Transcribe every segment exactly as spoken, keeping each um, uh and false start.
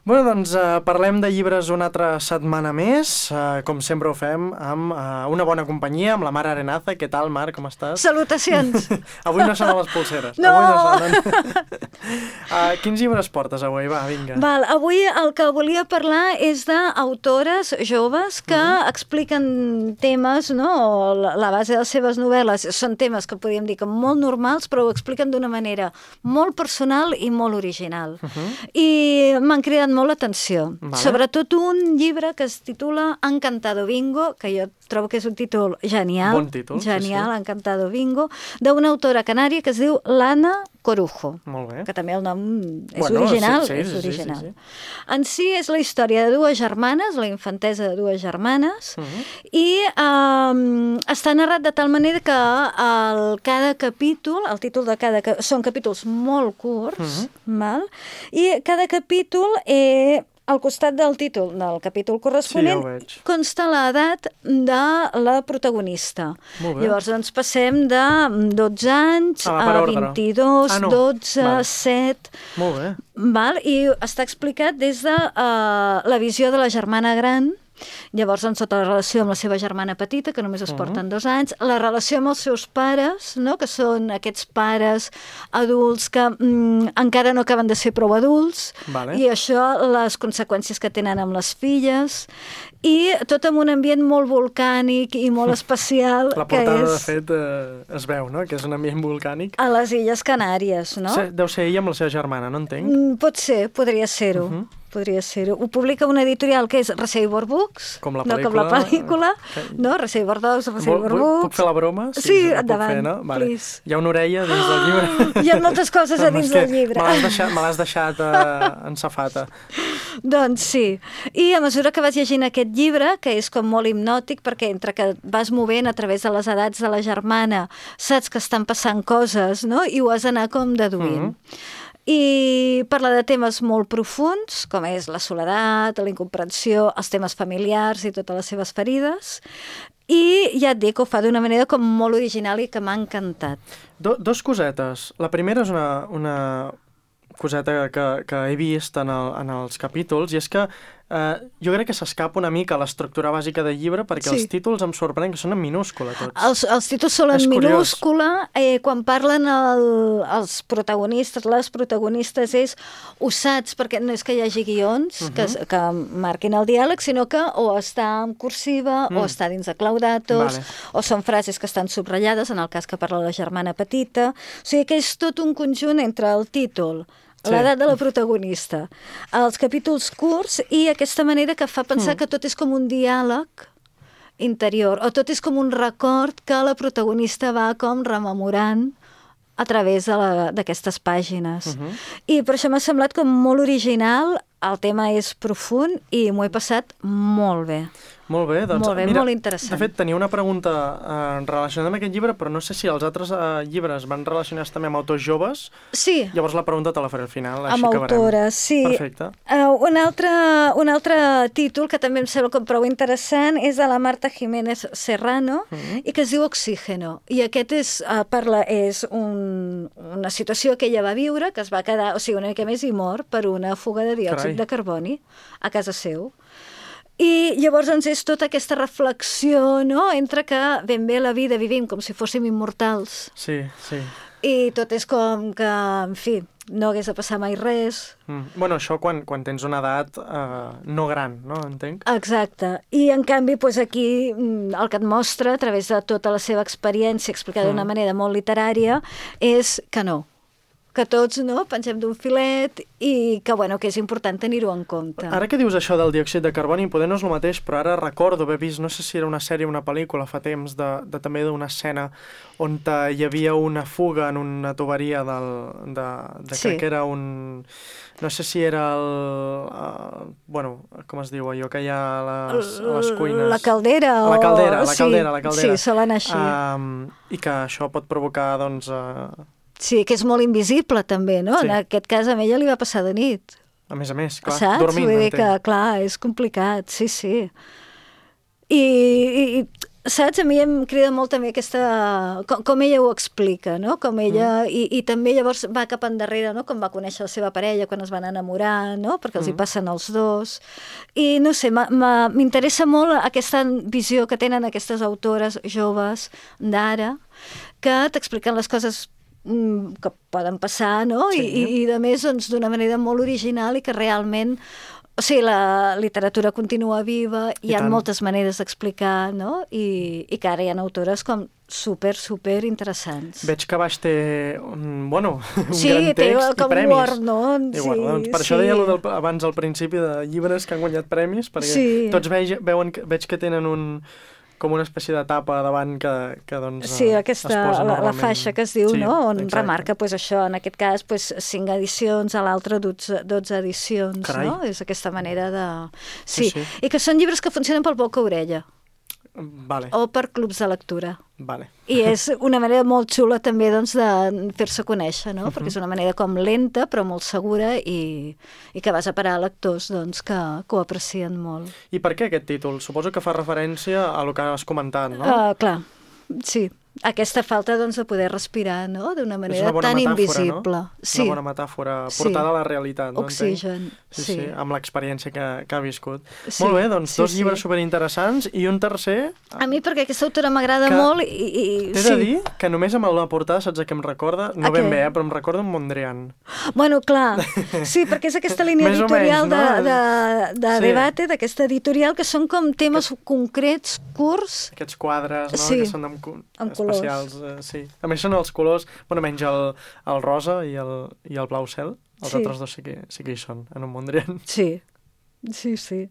Bueno, doncs uh, parlem de llibres una altra setmana més, uh, com sempre ho fem, amb uh, una bona companyia, amb la Mar Arenaza. Què tal, Mar, com estàs? Salutacions! Avui no sonen les polseres. No! Avui no sonen. uh, quins llibres portes avui? Va, vinga. Val, avui el que volia parlar és d'autores joves que mm. expliquen temes, no? La, la base de les seves novel·les són temes que podríem dir que molt normals, però ho expliquen d'una manera molt personal i molt original. Uh -huh. I m'han cridat molt l'atenció. Vale. Sobretot un llibre que es titula Encantado Bingo, que jo trobo que és un títol genial. Bon títol. Genial, sí, sí. Encantado Bingo, d'una autora canària que es diu Lana Corujo. Molt bé. Que també el nom és bueno, original. Sí, sí, és sí, original. Sí, sí, sí. En si és la història de dues germanes, la infantesa de dues germanes, uh -huh. i um, està narrat de tal manera que el, cada capítol, el títol de cada... són capítols molt curts, uh -huh. val? I cada capítol eh, al costat del títol del capítol corresponent sí, ja consta l'edat de la protagonista. Llavors doncs passem de dotze anys ah, a vint-i-dos, ah, no. dotze, vale. set... Molt bé. Val? I està explicat des de uh, la visió de la germana gran. Llavors, doncs, tota la relació amb la seva germana petita, que només es porten uh -huh. dos anys, la relació amb els seus pares, no? Que són aquests pares adults que mm, encara no acaben de ser prou adults, vale. I això, les conseqüències que tenen amb les filles, i tot en un ambient molt volcànic i molt especial. La portada, que és... de fet, eh, es veu, no?, que és un ambient volcànic. A les Illes Canàries, no? Se, deu ser ella amb la seva germana, no entenc? Mm, pot ser, podria ser-ho. Uh -huh. Podria ser-ho. Ho publica una editorial que és Receiver Books, com la no com la pel·lícula, okay. no? Receiver Dogs, Receiver Books... Puc fer la broma? Sí, sí endavant, fer, no? Vale. please. Hi ha una orella dins del llibre. Hi ha moltes coses a dins del llibre. Me l'has deixat, me l'has deixat uh, en safata. Doncs sí. I a mesura que vas llegint aquest llibre, que és com molt hipnòtic, perquè entre que vas movent a través de les edats de la germana, saps que estan passant coses, no? I ho has d'anar com deduint. Mm-hmm. I parla de temes molt profuns, com és la soledat, la incomprensió, els temes familiars i totes les seves ferides, i ja et dic, ho fa d'una manera com molt original i que m'ha encantat. Do, dos cosetes. La primera és una, una coseta que, que he vist en, el, en els capítols, i és que eh, jo crec que s'escapa una mica l'estructura bàsica del llibre, perquè sí. els títols em sorprenen que són en minúscula tots. Els, els títols són en minúscula, eh, quan parlen el, els protagonistes, les protagonistes, és ho saps, perquè no és que hi hagi guions uh-huh. que, que marquin el diàleg, sinó que o està en cursiva, mm. o està dins de claudatos, vale. O són frases que estan subratllades, en el cas que parla la germana petita. O sigui que és tot un conjunt entre el títol, l'edat de la protagonista, els capítols curts i aquesta manera que fa pensar mm. que tot és com un diàleg interior, o tot és com un record que la protagonista va com rememorant a través d'aquestes pàgines. Uh-huh. I per això m'ha semblat com molt original, el tema és profund i m'ho he passat molt bé. Molt bé, doncs, molt bé, mira, molt interessant. De fet, tenia una pregunta eh, relacionada amb aquest llibre, però no sé si els altres eh, llibres van relacionats també amb autors joves. Sí. Llavors la pregunta te la faré al final, així amb acabarem. Amb autores, sí. Perfecte. Uh, un, altre, un altre títol que també em sembla com prou interessant és de la Marta Jiménez Serrano, uh-huh. i que es diu Oxígeno. I aquest és, uh, parla, és un, una situació que ella va viure, que es va quedar, o sigui, una mica més i mor per una fuga de diòxid Carai. de carboni a casa seu. I llavors doncs, és tota aquesta reflexió, no?, entre que ben bé la vida vivim com si fóssim immortals. Sí, sí. I tot és com que, en fi, no hagués de passar mai res. Mm. Bueno, això quan, quan tens una edat eh, no gran, no? Entenc? Exacte. I, en canvi, doncs aquí el que et mostra, a través de tota la seva experiència, explicada mm. d'una manera molt literària, és que no. que tots no, pensem d'un filet i que, bueno, que és important tenir-ho en compte. Ara que dius això del diòxid de carboni, poder no és el mateix, però ara recordo haver vist, no sé si era una sèrie o una pel·lícula fa temps, de, de també d'una escena on hi havia una fuga en una tuberia del, de, de sí. crec que era un... No sé si era el... Uh, bueno, com es diu allò que hi ha a les, a les cuines? La caldera. La caldera, o... la caldera, la caldera. Sí, solen així. Um, I que això pot provocar, doncs... Uh... Sí, que és molt invisible també, no? Sí. En aquest cas a ella li va passar de nit. A més a més, clar, saps? dormint. Vull dir que, clar, és complicat, sí, sí. I, i saps? A mi em crida molt també aquesta... Com, com ella ho explica, no? Com ella... Mm. I, I també llavors va cap endarrere, no? Com va conèixer la seva parella quan es van enamorar, no? Perquè els mm. hi passen els dos. I no sé, m'interessa molt aquesta visió que tenen aquestes autores joves d'ara, que t'expliquen les coses que poden passar, no? Sí. I, i, i a més, doncs, d'una manera molt original i que realment... O sigui, la literatura continua viva, hi ha moltes maneres d'explicar, no? I, i que ara hi ha autores com super, super interessants. Veig que baix té un, bueno, un sí, gran text i premis. Word, no? I sí, doncs per sí. això deia del, abans al principi de llibres que han guanyat premis, perquè sí. tots veig, veuen, veig que tenen un... com una espècie de tapa davant que, que doncs, sí, aquesta, es posa la, la faixa que es diu, sí, no? On exacte. Remarca pues, això, en aquest cas, pues, cinc edicions, a l'altre dotze, dotze edicions, Carai. No? És aquesta manera de... Sí. sí, sí, i que són llibres que funcionen pel boca-orella. Vale. O per clubs de lectura. Vale. I és una manera molt xula també doncs, de fer-se conèixer, no? Uh-huh. Perquè és una manera com lenta però molt segura i, i que vas a parar a lectors doncs, que, que ho aprecien molt. I per què aquest títol? Suposo que fa referència a el que has comentat, no? Uh, clar, sí. Aquesta falta doncs, de poder respirar, no? D'una manera tan metàfora, invisible. No? Sí. Una bona metàfora portada sí. a la realitat. No? Oxigen. Sí, sí. sí, amb l'experiència que, que ha viscut. Sí. Molt bé, doncs sí, dos sí. llibres superinteressants i un tercer... A mi perquè aquesta autora m'agrada molt i... i T'he sí. de dir que només amb la portada saps a què em recorda? No a ben què? bé, eh, però em recorda un Mondrian. Bueno, clar, sí, perquè és aquesta línia editorial menys, no? de, de, de sí. debate, d'aquesta editorial, que són com temes que... concrets, curts... Aquests quadres, no? Sí. Que són amb, amb especials. Eh, sí. A més són els colors, bueno, menys el, el rosa i el, i el blau cel. Els sí. altres dos sí que, sí que hi són, en un Mondrian. Sí, sí, sí.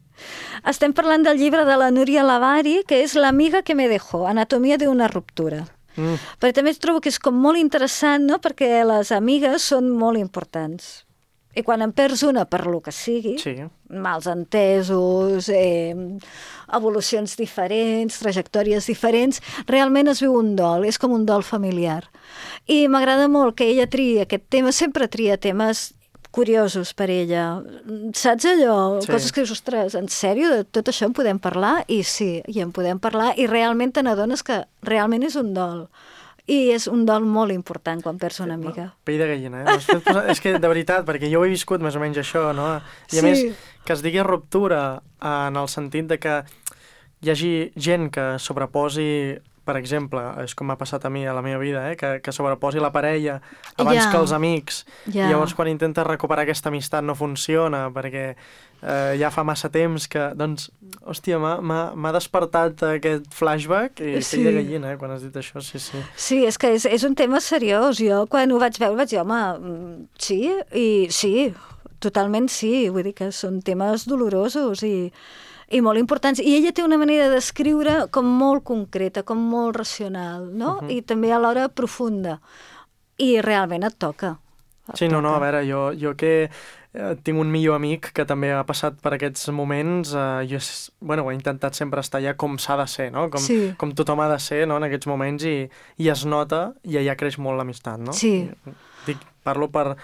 Estem parlant del llibre de la Núria Lavari, que és L'amiga que me dejó, anatomia d'una ruptura. Mm. Però també trobo que és com molt interessant, no?, perquè les amigues són molt importants. I quan en perds una per lo que sigui, sí. mals entesos, eh, evolucions diferents, trajectòries diferents, realment es viu un dol, és com un dol familiar. I m'agrada molt que ella tria aquest tema, sempre tria temes curiosos per ella. Saps allò? Sí. Coses que dius, ostres, en sèrio, de tot això en podem parlar? I sí, i en podem parlar, i realment te n'adones que realment és un dol. I és un dol molt important quan perds una amiga. Pell de gallina, eh? Posar... és que, de veritat, perquè jo ho he viscut més o menys això, no? I a sí. més, que es digui ruptura en el sentit de que hi hagi gent que sobreposi, per exemple, és com m'ha passat a mi a la meva vida, eh? que, que sobreposi la parella abans yeah. que els amics. Yeah. I llavors, quan intenta recuperar aquesta amistat no funciona, perquè eh, ja fa massa temps que, doncs, hòstia, m'ha despertat aquest flashback i sí. pell de gallina, eh, quan has dit això, sí, sí. Sí, és que és, és un tema seriós. Jo, quan ho vaig veure, vaig dir, home, sí, i sí, totalment sí. Vull dir que són temes dolorosos i... i molt importants. I ella té una manera d'escriure com molt concreta, com molt racional, no? Uh-huh. I també alhora profunda. I realment et toca. Et sí, no, toca. no, a veure, jo, jo que eh, tinc un millor amic que també ha passat per aquests moments, eh, jo bueno, he intentat sempre estar allà com s'ha de ser, no? Com, sí. com tothom ha de ser, no? En aquests moments, i, i es nota, i allà creix molt l'amistat, no? Sí. I, dic, parlo per...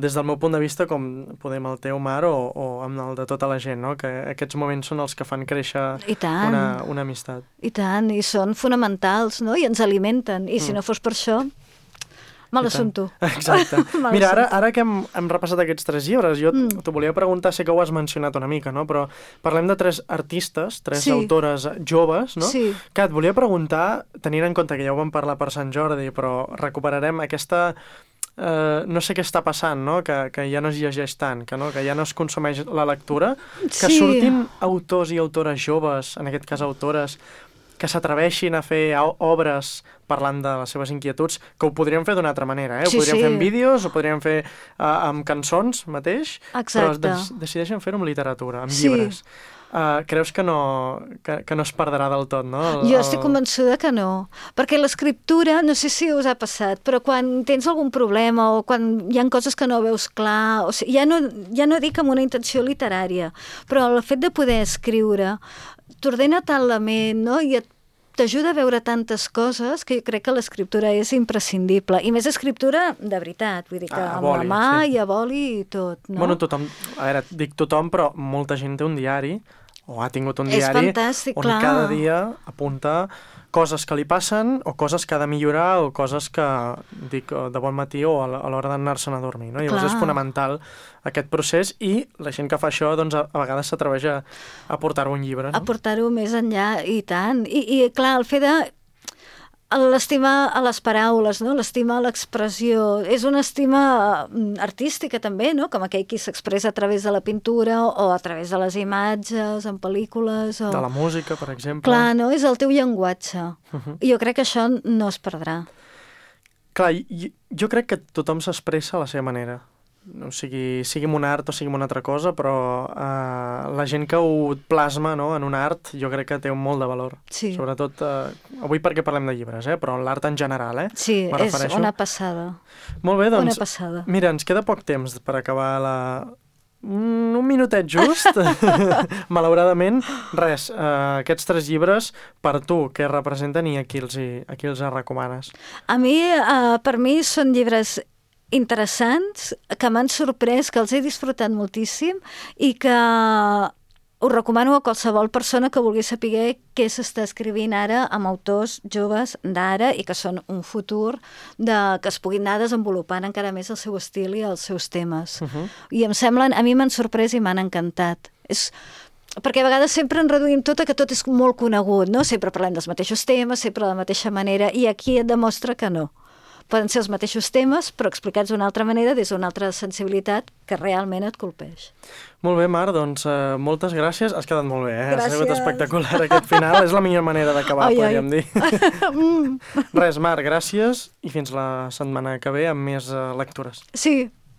des del meu punt de vista, com podem el teu, Mar, o, o amb el de tota la gent, no? Que aquests moments són els que fan créixer una, una amistat. I tant, i són fonamentals, no? I ens alimenten, i mm. si no fos per això, mal assumpto. Exacte. Mira, ara, ara que hem, hem repassat aquests tres llibres, jo mm. t'ho volia preguntar, sé que ho has mencionat una mica, no? Però parlem de tres artistes, tres sí. autores joves, no? Sí. Que et volia preguntar, tenint en compte que ja ho vam parlar per Sant Jordi, però recuperarem aquesta... Uh, no sé què està passant, no? Que, que ja no es llegeix tant, que, no? que ja no es consumeix la lectura, que sí. surtin autors i autores joves, en aquest cas autores, que s'atreveixin a fer obres parlant de les seves inquietuds, que ho podríem fer d'una altra manera, eh? Ho sí, podríem sí. fer en vídeos, ho podríem fer uh, amb cançons mateix, exacte. Però des decideixen fer-ho amb literatura, amb sí. llibres. Uh, creus que no, que, que no es perdrà del tot, no? El, jo estic convençuda que no, perquè l'escriptura, no sé si us ha passat, però quan tens algun problema o quan hi ha coses que no veus clar, o sigui, ja, no, ja no dic amb una intenció literària, però el fet de poder escriure t'ordena tant la ment, no? I et t'ajuda a veure tantes coses que jo crec que l'escriptura és imprescindible. I més escriptura de veritat, vull dir que ah, amb boli, la mà sí. i a boli i tot, no? Bueno, tothom, a veure, dic tothom, però molta gent té un diari o ha tingut un És diari fantàstic, on clar. cada dia apunta coses que li passen o coses que ha de millorar o coses que dic de bon matí o a l'hora d'anar-se'n a dormir, no? Llavors Clar. és fonamental aquest procés i la gent que fa això doncs a, a vegades s'atreveix a, a portar-ho un llibre, no? A portar-ho més enllà, i tant. I, i clar, el fet de l'estima a les paraules, no? L'estima a l'expressió. És una estima artística també, no? Com aquell qui s'expressa a través de la pintura o a través de les imatges, en pel·lícules... O... De la música, per exemple. Clar, no? És el teu llenguatge. Uh-huh. Jo crec que això no es perdrà. Clar, jo, jo crec que tothom s'expressa a la seva manera. O sigui, sigui un art o sigui una altra cosa, però eh, la gent que ho plasma, no, en un art jo crec que té un molt de valor. Sí. Sobretot, eh, avui perquè parlem de llibres, eh, però l'art en general, eh? Sí, me és refereixo. una passada. Molt bé, doncs, Una passada. Mira, ens queda poc temps per acabar la... Un, un minutet just, malauradament. Res, eh, aquests tres llibres, per tu, què representen i a qui els, hi, a qui els recomanes? A mi, eh, per mi, són llibres interessants, que m'han sorprès, que els he disfrutat moltíssim i que us recomano a qualsevol persona que vulgui saber què s'està escrivint ara amb autors joves d'ara i que són un futur de, que es puguin anar desenvolupant encara més el seu estil i els seus temes. Uh-huh. I em semblen, a mi m'han sorprès i m'han encantat. És perquè a vegades sempre en reduïm tot a que tot és molt conegut, no? Sempre parlem dels mateixos temes, sempre de la mateixa manera, i aquí et demostra que no. Poden ser els mateixos temes, però explicats d'una altra manera, des d'una altra sensibilitat que realment et colpeix. Molt bé, Mar, doncs uh, moltes gràcies. Has quedat molt bé, eh? Gràcies. Ha sigut espectacular aquest final. És la millor manera d'acabar, podríem dir. Res, Mar, gràcies i fins la setmana que ve amb més uh, lectures. Sí,